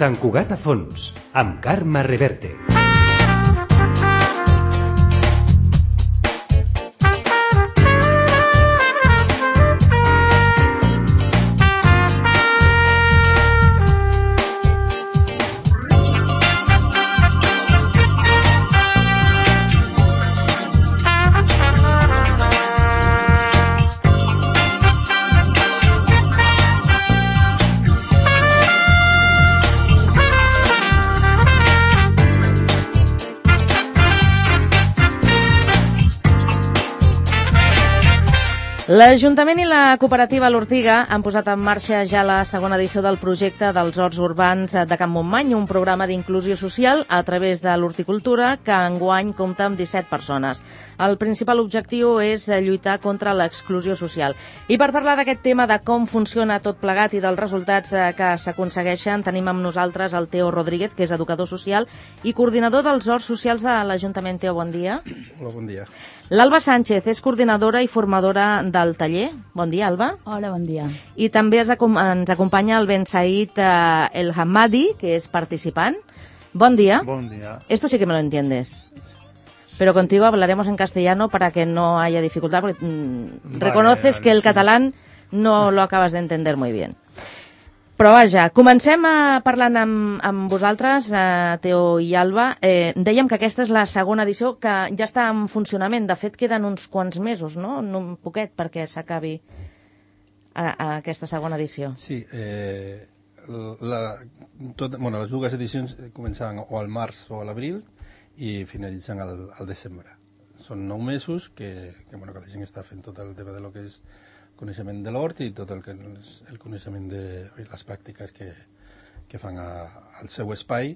Sant Cugat a fons, amb Carme Reverte. L'Ajuntament i la cooperativa L'Ortiga han posat en marxa ja la segona edició del projecte dels Horts Urbans de Can Montmany, un programa d'inclusió social a través de l'horticultura que enguany compta amb 17 persones. El principal objectiu és lluitar contra l'exclusió social. I per parlar d'aquest tema, de com funciona tot plegat i dels resultats que s'aconsegueixen, tenim amb nosaltres el Teo Rodríguez, que és educador social i coordinador dels Horts Socials de l'Ajuntament. Teo, bon dia. Hola, bon dia. L'Alba Sánchez és coordinadora i formadora del taller. Bon dia, Alba. Hola, bon dia. I també ens acompanya el Ben Said El Hamadi, que es participant. Bon día. Buen día. Esto sí que me lo entiendes. Pero contigo hablaremos en castellano para que no haya dificultad, porque reconoces que el catalán no lo acabas de entender muy bien. Però vaja, comencem parlant amb vosaltres, Teo i Alba. Dèiem que aquesta és la segona edició que ja està en funcionament. De fet, queden uns quants mesos, no? Un poquet perquè s'acabi aquesta segona edició. Sí, les dues edicions començaven o al març o a l'abril i finalitzen al desembre. Són 9 mesos que la gent està fent tot el tema de lo que és coneixement de l'hort i tot el coneixement de les pràctiques que fan al seu espai.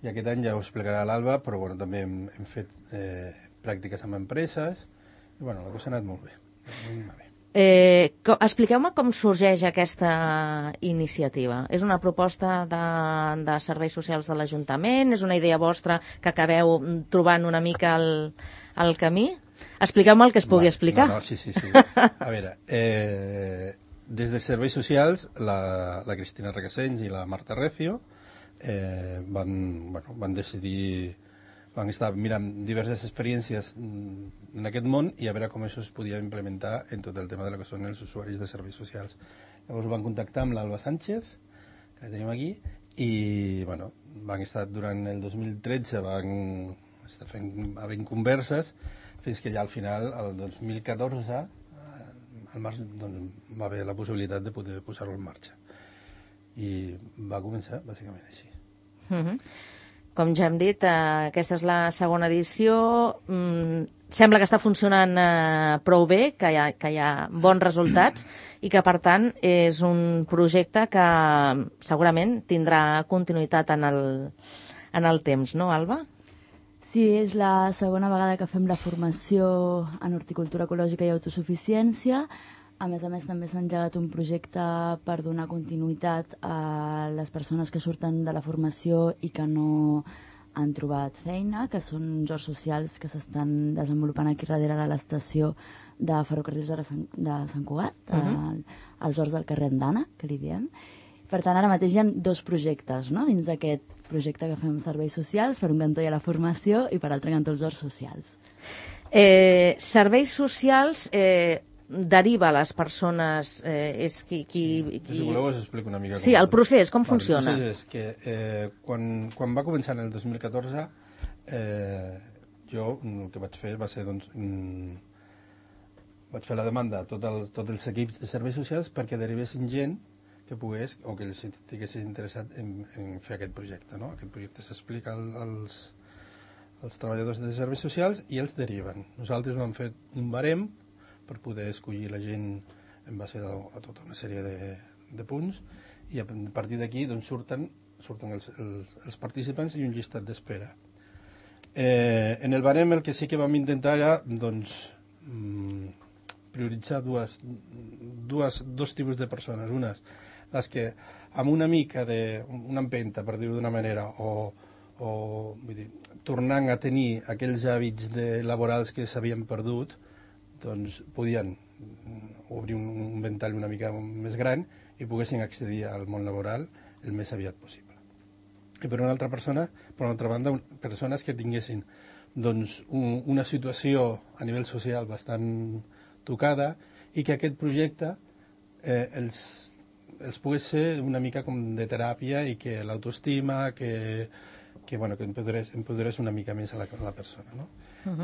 I aquest any ja ho explicarà l'Alba, però també hem fet pràctiques amb empreses i la cosa ha anat molt bé. Expliqueu-me com sorgeix aquesta iniciativa. És una proposta de serveis socials de l'Ajuntament? És una idea vostra que acabeu trobant una mica al camí? Expliqueu-me el que es pugui explicar. Sí. A veure, des de Serveis Socials, la Cristina Requesens i la Marta Recio van decidir, van estar mirant diverses experiències en aquest món i a veure com això es podia implementar en tot el tema de lo que són els usuaris de serveis socials. Llavors van contactar amb l'Alba Sánchez, que la tenim aquí, i van estar durant el 2013, van estar havent converses, fins que ja al final, el 2014, al març, va haver la possibilitat de poder posar-ho en marxa. I va començar, bàsicament, així. Com ja hem dit, aquesta és la segona edició. Sembla que està funcionant prou bé, que hi ha bons resultats i que, per tant, és un projecte que segurament tindrà continuïtat en el temps, no, Alba? Sí, és la segona vegada que fem la formació en horticultura ecològica i autosuficiència. A més, també s'ha engegat un projecte per donar continuïtat a les persones que surten de la formació i que no han trobat feina, que són horts socials que s'estan desenvolupant aquí darrere de l'estació de ferrocarrils de Sant Cugat, als horts del carrer Andana, que li diem. Per tant, ara mateix hi ha 2 projectes, no?, dins d'aquest projecte que fem serveis socials. Per un cantó hi ha la formació i per altre cantó els horts socials. Serveis socials deriva a les persones... Si voleu us explico una mica. Sí, el procés, com funciona? El procés és que quan va començar en el 2014, jo el que vaig fer va ser, vaig fer la demanda a tots els equips de serveis socials perquè derivessin gent que pogués o que els estiguessin interessat en fer aquest projecte. Aquest projecte s'explica als treballadors de serveis socials i els deriven. Nosaltres vam fer un barem per poder escollir la gent en base a tota una sèrie de punts i a partir d'aquí surten els participants i un llistat d'espera. En el barem el que sí que vam intentar era prioritzar dos tipus de persones. Unes, les que amb una mica d'una empenta, per dir-ho d'una manera, o vull dir, tornant a tenir aquells hàbits laborals que s'havien perdut, podien obrir un ventall una mica més gran i poguessin accedir al món laboral el més aviat possible. i per una altra banda, persones que tinguessin doncs, una situació a nivell social bastant tocada i que aquest projecte els pogués ser una mica com de teràpia i que l'autoestima, que empoderés una mica més a la persona. No?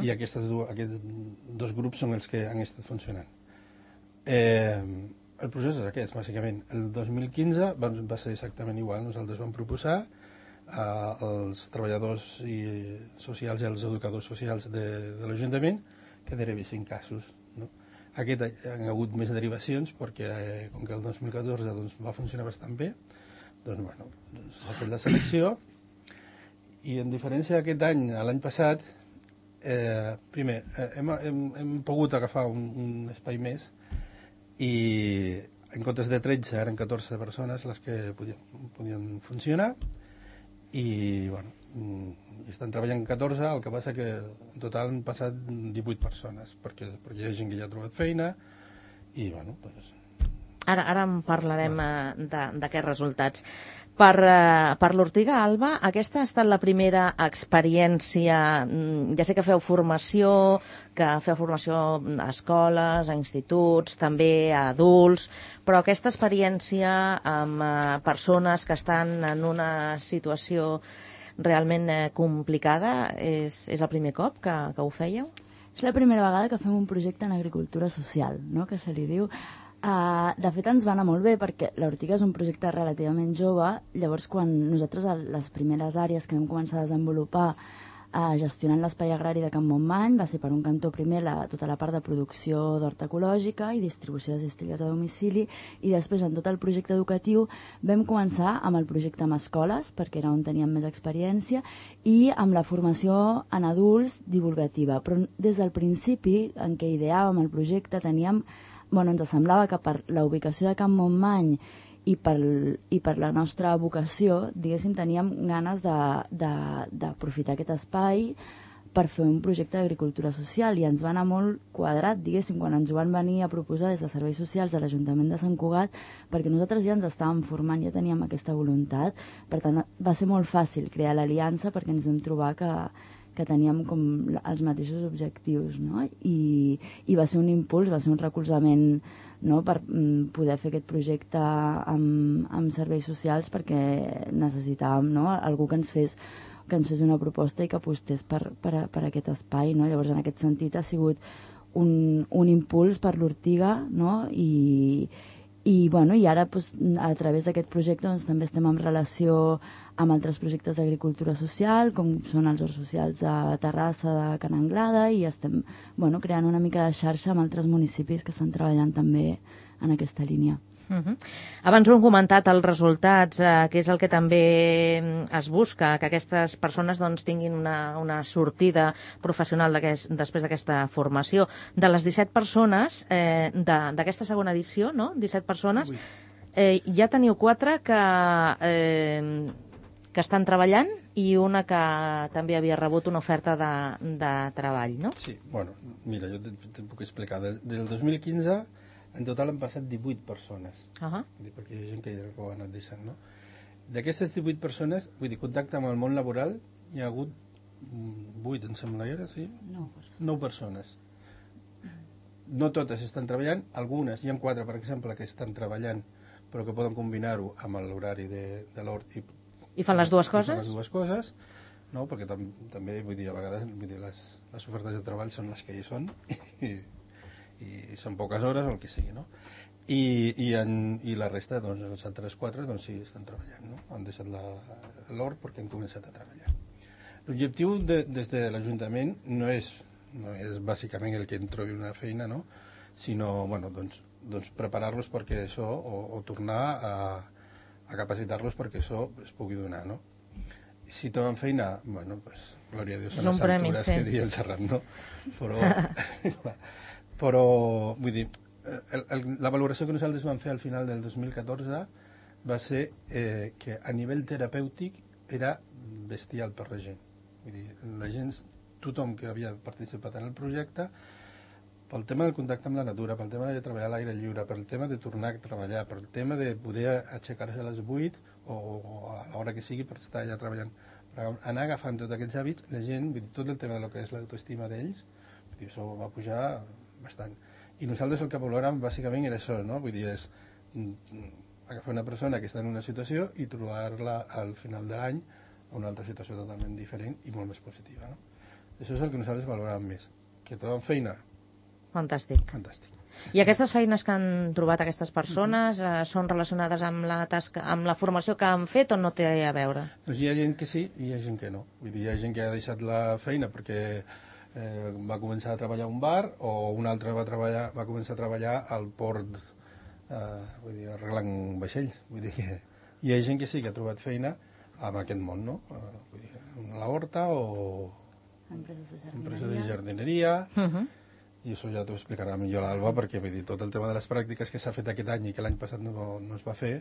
I aquests dos grups són els que han estat funcionant. El procés és aquest, bàsicament. El 2015 va ser exactament igual. Nosaltres vam proposar als treballadors socials i als educadors socials de l'Ajuntament que derivessin casos. No? Aquest any hi ha hagut més derivacions perquè, com que el 2014 va funcionar bastant bé, s'ha fet la selecció i en diferència d'aquest any, l'any passat, primer, hem pogut agafar un espai més i en comptes de 13 eren 14 persones les que podien funcionar i estan treballant 14, el que passa que en total han passat 18 persones perquè hi ha gent que ja ha trobat feina i Ara en parlarem d'aquests resultats. Per l'Ortiga, Alba, aquesta ha estat la primera experiència, ja sé que feu formació a escoles, a instituts, també a adults, però aquesta experiència amb persones que estan en una situació realment complicada és el primer cop que ho fèieu? És la primera vegada que fem un projecte en agricultura social, no?, que se li diu. De fet, ens va anar molt bé perquè l'Ortiga és un projecte relativament jove. Llavors, quan nosaltres, les primeres àrees que vam començar a desenvolupar gestionant l'espai agrari de Can Montmany, va ser per un cantó primer tota la part de producció d'horta ecològica i distribució de cistelles a domicili, i després en tot el projecte educatiu vam començar amb el projecte amb escoles, perquè era on teníem més experiència, i amb la formació en adults divulgativa. Però des del principi en què ideàvem el projecte ens semblava que per la ubicació de Can Montmany i per la nostra vocació, diguéssim, teníem ganes d'aprofitar aquest espai per fer un projecte d'agricultura social, i ens va anar molt quadrat, diguéssim, quan ens ho van venir a proposar des de Serveis Socials de l'Ajuntament de Sant Cugat, perquè nosaltres ja ens estàvem formant, ja teníem aquesta voluntat. Per tant, va ser molt fàcil crear l'aliança perquè ens vam trobar que teníem com els mateixos objectius, no? I va ser un impuls, va ser un recolzament, no?, per poder fer aquest projecte amb serveis socials, perquè necessitàvem, no?, algú que ens fes una proposta i que apostés per aquest espai, no? Llavors, en aquest sentit, ha sigut un impuls per l'Ortiga, no?, i ara, a través d'aquest projecte, també estem en relació amb altres projectes d'agricultura social, com són els horts socials de Terrassa, de Can Anglada, i estem creant una mica de xarxa amb altres municipis que estan treballant també en aquesta línia. Abans ho hem comentat, els resultats, que és el que també es busca, que aquestes persones tinguin una sortida professional després d'aquesta formació. De les 17 persones d'aquesta segona edició, no?, 17 persones, ja teniu 4 que estan treballant i una que també havia rebut una oferta de treball, no? Sí, mira, jo te puc explicar. Del 2015, en total han passat 18 persones, perquè hi ha gent que ja ho ha anat deixant, no? D'aquestes 18 persones, contacte amb el món laboral, hi ha hagut 8, em sembla, sí? 9 persones. No totes estan treballant, algunes, hi ha 4, per exemple, que estan treballant, però que poden combinar-ho amb l'horari de l'hort i fan les dues coses? Fan les dues coses, no? Perquè també, a vegades, les ofertes de treball són les que hi són, i són poques hores o el que sigui, no? I la resta, els altres 4, sí, estan treballant, no? Han deixat l'hort perquè han començat a treballar. L'objectiu des de l'Ajuntament no és bàsicament el que en trobi una feina, no? Sinó, preparar-los perquè això, o tornar a capacitar-los perquè això es pugui donar, no? Si troben feina, glòria a Déu, són les altures, que diria el Serrat, no? Però, vull dir, la valoració que nosaltres vam fer al final del 2014 va ser que a nivell terapèutic era bestial per la gent. Vull dir, la gent, tothom que havia participat en el projecte, pel tema del contacte amb la natura, pel tema de treballar a l'aire lliure, pel tema de tornar a treballar, pel tema de poder aixecar-se a les 8 o a l'hora que sigui per estar allà treballant. Per anar agafant tots aquests hàbits, la gent, tot el tema del que és l'autoestima d'ells, això va pujar bastant. I nosaltres el que valoràvem bàsicament era això, no? Vull dir, és agafar una persona que està en una situació i trobar-la al final de l'any a una altra situació totalment diferent i molt més positiva, no? Això és el que nosaltres valoràvem més. Que troben feina? Fantàstic. Fantàstic. I aquestes feines que han trobat aquestes persones són relacionades amb la tasca, amb la formació que han fet o no té a veure? Doncs hi ha gent que sí i hi ha gent que no. Vull dir, hi ha gent que ha deixat la feina perquè va començar a treballar a un bar o un altre va començar a treballar al port, vull dir, arreglant vaixells. Vull dir que hi ha gent que sí que ha trobat feina en aquest món, no? Vull dir, a la horta o empreses de jardineria. I això ja t'ho explicarà millor l'Alba, perquè vull dir, tot el tema de les pràctiques que s'ha fet aquest any i que l'any passat no es va fer,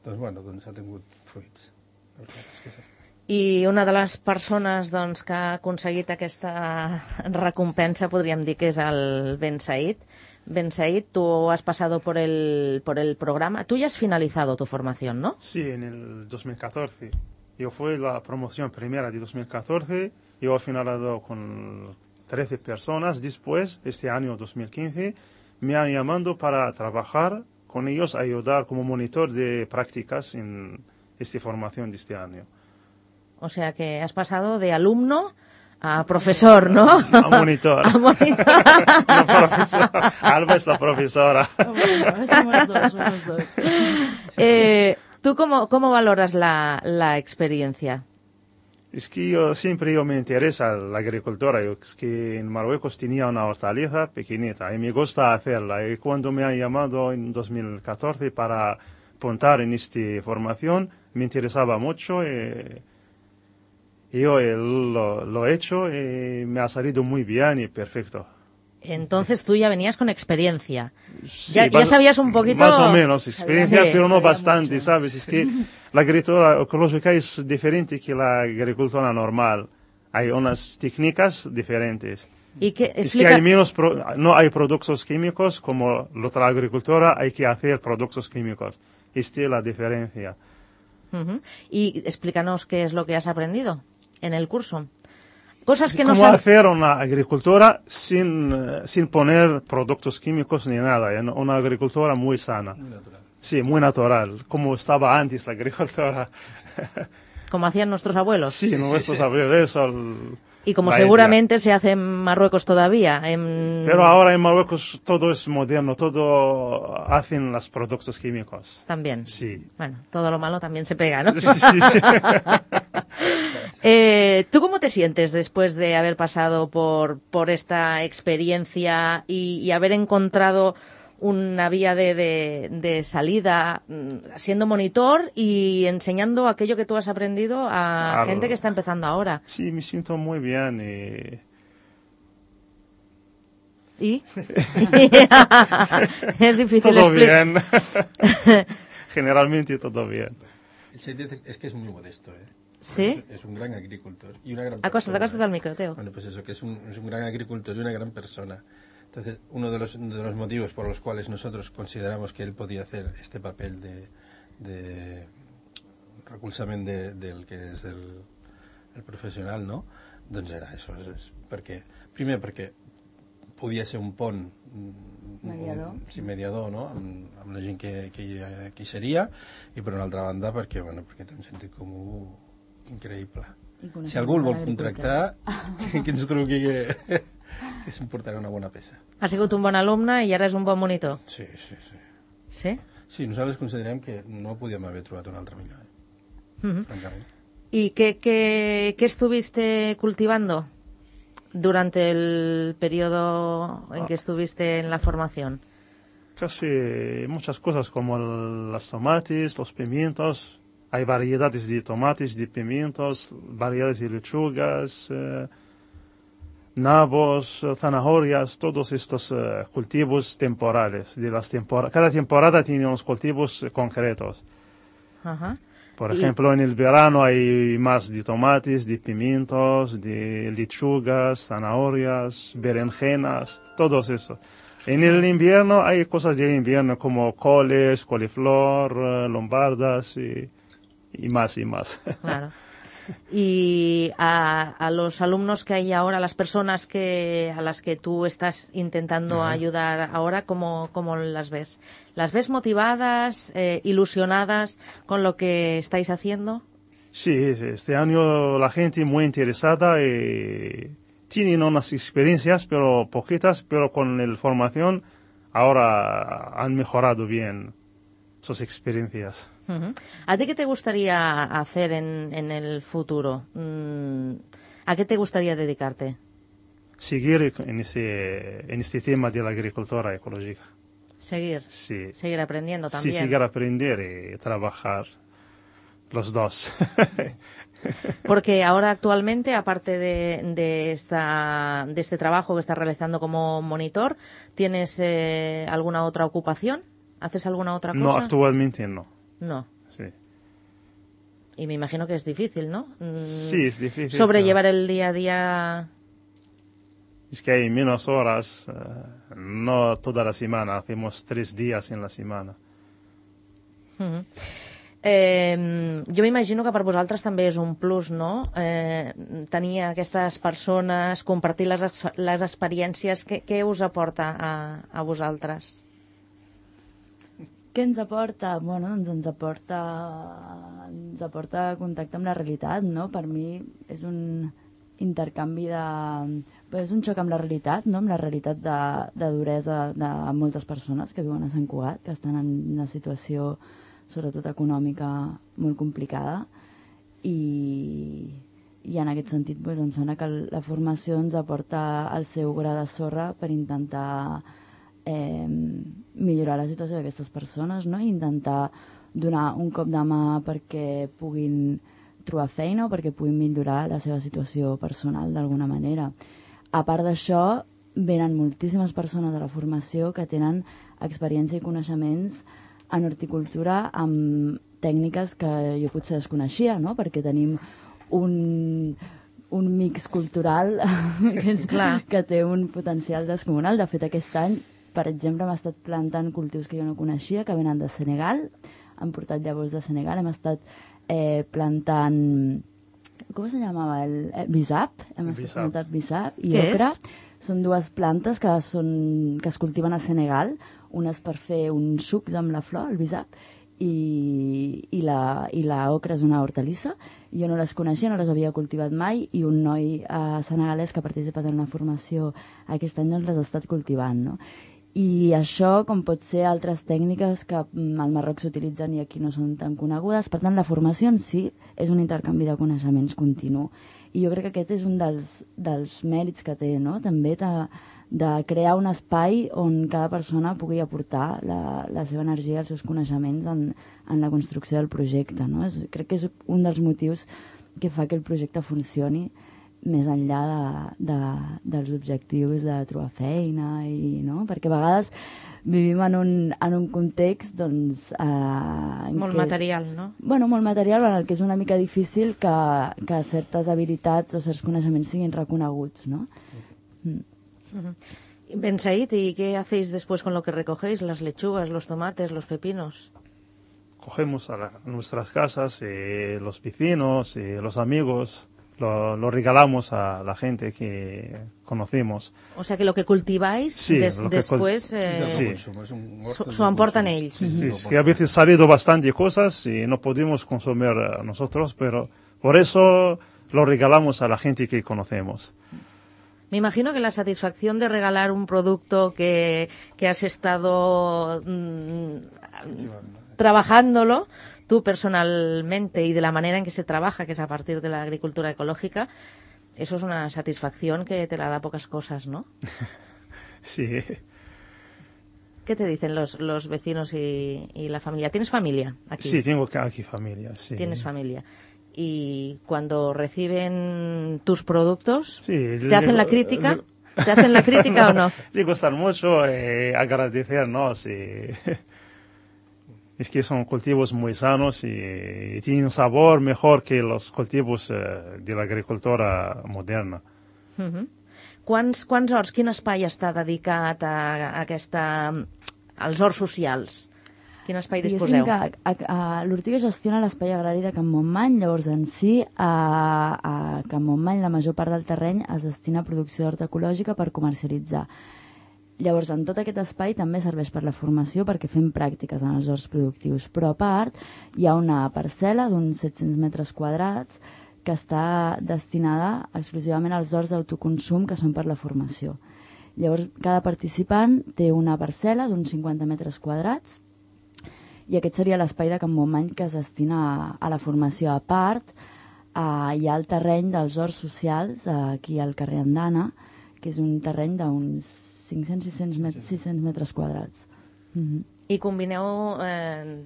doncs, bueno, doncs ha tingut fruits. I una de les persones doncs, que ha aconseguit aquesta recompensa, podríem dir que és el Ben Said. Ben Said, tú has pasado por el programa. Tú ya has finalizado tu formación, ¿no? Sí, en el 2014. Yo fui la promoción primera de 2014. Yo he finalizado con 13 personas. Después, este año 2015, me han llamado para trabajar con ellos, ayudar como monitor de prácticas en esta formación de este año. O sea que has pasado de alumno a profesor, ¿no? Sí, a monitor. A monitor. No, profesor. Alba es la profesora. Bueno, somos dos. ¿Tú cómo valoras la experiencia? Es que siempre me interesa la agricultura. Es que en Marruecos tenía una hortaliza pequeñita y me gusta hacerla. Y cuando me han llamado en 2014 para apuntar en esta formación, me interesaba mucho. Yo lo he hecho y me ha salido muy bien y perfecto. Entonces tú ya venías con experiencia. Sí, ya sabías un poquito... Más o menos experiencia, Sí, pero no bastante, mucho. ¿sabes? Es que la agricultura ecológica es diferente que la agricultura normal. Hay unas técnicas diferentes. ¿Y qué Es explica? que hay menos no hay productos químicos como la otra agricultura, hay que hacer productos químicos. Esta es la diferencia. Ujú. Y explícanos qué es lo que has aprendido en el curso. Cosas que no ¿Cómo sabes. hacer una agricultura sin poner productos químicos ni nada? Una agricultura muy sana. Muy natural. Sí, muy natural, como estaba antes la agricultura. Como hacían nuestros abuelos. Sí, nuestros abuelos, eso. Y como la seguramente se hace en Marruecos todavía. Pero ahora en Marruecos todo es moderno, todo hacen los productos químicos. También. Sí. Bueno, todo lo malo también se pega, ¿no? Sí, sí. ¿Tú cómo te sientes después de haber pasado por esta experiencia y haber encontrado una vía de salida siendo monitor y enseñando aquello que tú has aprendido a gente que está empezando ahora? Sí, me siento muy bien. ¿Y? Es difícil Todo explicar. bien. Generalmente todo bien. El Said es que es muy modesto, ¿eh? ¿Sí? Es un gran agricultor y una gran Acóstate persona. al micro, Teo. Bueno, pues eso, que es un gran agricultor y una gran persona. Entonces, uno de los motivos por los cuales nosotros consideramos que él podía hacer este papel de recolzament del que és el professional, no? Doncs era això, primer perquè podia ser un pont mediador, no? amb la gent que hi seria, i per una altra banda perquè té un sentit comú increïble. Si algú el vol contractar, que ens truqui que s'emportarà una bona peça. Has sigut un bon alumne i ara és un bon monitor. Sí. ¿Sí? Sí, nosaltres considerem que no podíem haver trobat un altre millor, francament. ¿Y qué estuviste cultivando durante el periodo en que estuviste en la formación? Casi muchas cosas como los tomates, los pimientos. Hay variedades de tomates, de pimientos, variedades de lechugas, nabos, zanahorias, todos estos cultivos temporales. Cada temporada tiene unos cultivos concretos. Ajá. Por ejemplo, en el verano hay más de tomates, de pimientos, de lechugas, zanahorias, berenjenas, todo eso. En el invierno hay cosas del invierno como coles, coliflor, lombardas y y más y más. Claro. Y a los alumnos que hay ahora, las personas a las que tú estás intentando ayudar ahora, ¿cómo las ves? ¿Las ves motivadas, ilusionadas con lo que estáis haciendo? Sí, este año la gente muy interesada tienen unas experiencias, pero poquitas, pero con la formación ahora han mejorado bien sus experiencias. ¿A ti qué te gustaría hacer en el futuro? ¿A qué te gustaría dedicarte? Seguir en este tema de la agricultura ecológica. Seguir. Sí. Seguir aprendiendo también. Sí, seguir aprender y trabajar los dos. Porque ahora actualmente, aparte de este trabajo que estás realizando como monitor, ¿tienes alguna otra ocupación? ¿Haces alguna otra cosa? No, actualmente no. No. Sí. Y me imagino que es difícil, ¿no? Sí, es difícil. Sobrellevar el día a día. Es que hay menos horas, no toda la semana, hacemos 3 días en la semana. Jo m'imagino que per vosaltres també és un plus, no? Tenir aquestes persones, compartir les experiències, què us aporta a vosaltres? Què ens aporta? Bueno, doncs ens aporta contacte amb la realitat, no? Per mi és un intercanvi és un xoc amb la realitat, no? Amb la realitat de duresa de moltes persones que viuen a Sant Cugat, que estan en una situació sobretot econòmica molt complicada i en aquest sentit doncs, em sembla que la formació ens aporta el seu gra de sorra per intentar millorar la situació d'aquestes persones, no? I intentar donar un cop de mà perquè puguin trobar feina o perquè puguin millorar la seva situació personal d'alguna manera. A part d'això, venen moltíssimes persones a la formació que tenen experiència i coneixements en horticultura amb tècniques que jo potser desconeixia, no? Perquè tenim un mix cultural que té un potencial descomunal. De fet, aquest any, per exemple, hem estat plantant cultius que jo no coneixia, que venen de Senegal, han portat llavors de Senegal, hem estat plantant, com se llamava? Bisap, hem estat plantant bisap i ocra. Són dues plantes que es cultiven a Senegal, unes per fer uns sucs amb la flor, el bisap, i la ocra és una hortalissa. Jo no les coneixia, no les havia cultivat mai, i un noi senegalès que ha participat en la formació aquest any les ha estat cultivant, no? I això, com pot ser altres tècniques que al Marroc s'utilitzen i aquí no són tan conegudes. Per tant, la formació en si és un intercanvi de coneixements continu. I jo crec que aquest és un dels mèrits que té, no? També de crear un espai on cada persona pugui aportar la seva energia i els seus coneixements en la construcció del projecte, no? Crec que és un dels motius que fa que el projecte funcioni més enllà dels objectius de trobar feina, no? Perquè a vegades vivim en un context doncs, molt material, no? Bueno, molt material, en el que és una mica difícil que certes habilitats o certs coneixements siguin reconeguts, ¿no? Ben Said, ¿y qué hacéis después con lo que recogéis? Las lechugas, los tomates, los pepinos. Cogemos a nuestras casas, los vecinos, los amigos, lo regalamos a la gente que conocemos. O sea que lo que cultiváis después s'ho emporten ells. Sí, es que a veces ha salido bastante cosas y no podemos consumir nosotros, pero por eso lo regalamos a la gente que conocemos. Me imagino que la satisfacción de regalar un producto que has estado trabajándolo tú personalmente y de la manera en que se trabaja, que es a partir de la agricultura ecológica, eso es una satisfacción que te la da pocas cosas, ¿no? Sí. ¿Qué te dicen los vecinos y la familia? ¿Tienes familia aquí? Sí, tengo aquí familia, sí. Tienes familia. Y cuando reciben tus productos, sí, ¿te hacen la crítica? ¿Te hacen la crítica o no? Le gustan mucho, agradecernos. Es que son cultivos muy sanos y tienen un sabor mejor que los cultivos de la agricultura moderna. Quants horts, quin espai està dedicat als horts socials? Quin espai disposeu? L'Ortiga gestiona l'espai agrari de Can Montmany, llavors en si a Can Montmany la major part del terreny es destina a producció d'hort ecològica per comercialitzar. Llavors, en tot aquest espai també serveix per la formació perquè fem pràctiques en els horts productius, però a part hi ha una parcel·la d'uns 700 metres quadrats que està destinada exclusivament als horts d'autoconsum que són per la formació. Llavors, cada participant té una parcel·la d'uns 50 metres quadrats i aquest seria l'espai de Can Montmany que es destina a la formació. A part, hi ha el terreny dels horts socials aquí al carrer Andana, que és un terreny d'uns 500-600 metres quadrats. I combineu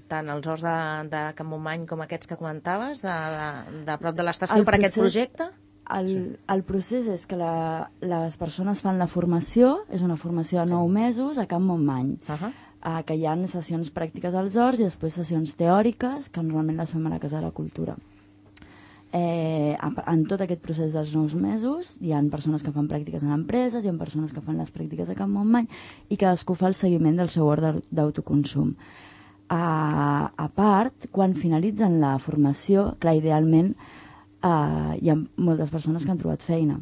tant els horts de Can Montmany com aquests que comentaves, de prop de l'estació, per aquest projecte? El procés és que les persones fan la formació, és una formació de 9 mesos a Can Montmany, que hi ha sessions pràctiques als horts i després sessions teòriques, que normalment les fem a la Casa de la Cultura. En tot aquest procés dels 9 mesos hi ha persones que fan pràctiques en empreses, hi ha persones que fan les pràctiques a Can Montmany i cadascú fa el seguiment del seu hort d'autoconsum. A part, quan finalitzen la formació, clar, idealment hi ha moltes persones que han trobat feina.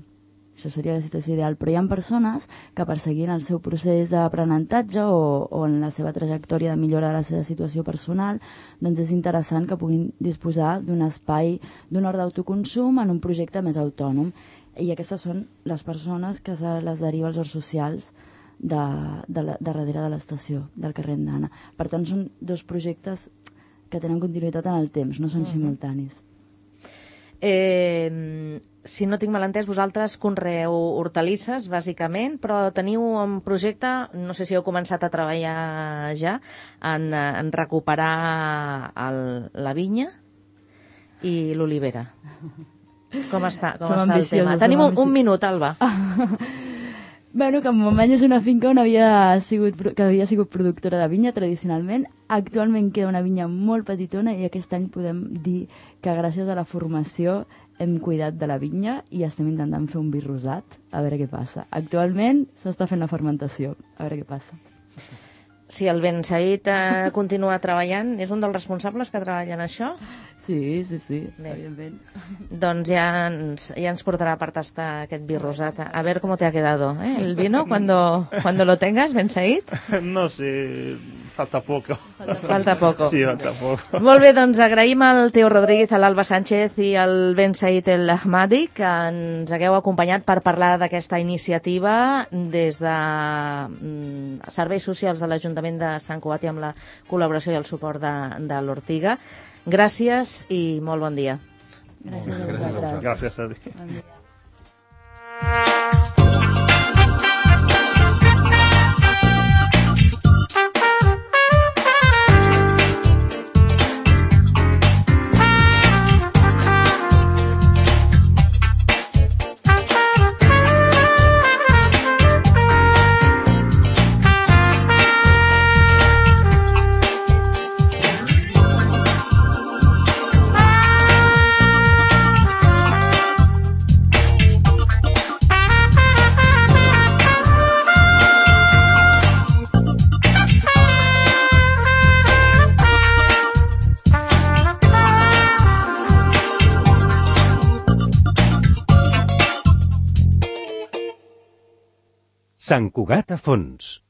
Això seria la situació ideal, però hi ha persones que perseguint el seu procés d'aprenentatge o en la seva trajectòria de millora de la seva situació personal, doncs és interessant que puguin disposar d'un espai, d'un hort d'autoconsum en un projecte més autònom. I aquestes són les persones que se les deriva als horts socials de darrere de l'estació, del carrer Andana. Per tant, són dos projectes que tenen continuïtat en el temps, no són simultanis. Si no tinc mal entès, vosaltres conreeu hortalisses, bàsicament, però teniu un projecte, no sé si heu començat a treballar ja, en recuperar la vinya i l'olivera. Com està el tema? Tenim un minut, Alba. Bueno, Can Montmany és una finca que havia sigut productora de vinya tradicionalment. Actualment queda una vinya molt petitona i aquest any podem dir que gràcies a la formació hem cuidat de la vinya i estem intentant fer un vi rosat, a veure què passa. Actualment s'està fent la fermentació, a veure què passa. Si el Ben Said continua treballant, és un dels responsables que treballa en això? Sí, evidentment. Doncs ja ens portarà per tastar aquest vi rosat. A ver cómo te ha quedado, el vino cuando lo tengas, Ben Said? No sé, falta poco. Falta poco. Sí, falta poco. Molt bé, doncs agraïm al Teo Rodríguez, a l'Alba Sánchez i al Ben Said El Ahmadi que ens hagueu acompanyat per parlar d'aquesta iniciativa des de Serveis Socials de l'Ajuntament de Sant Cugat i amb la col·laboració i el suport de l'Ortiga. Gràcies i molt bon dia. Gràcies a vosaltres. Gràcies a ti. Bon dia. Sant Cugat a fons.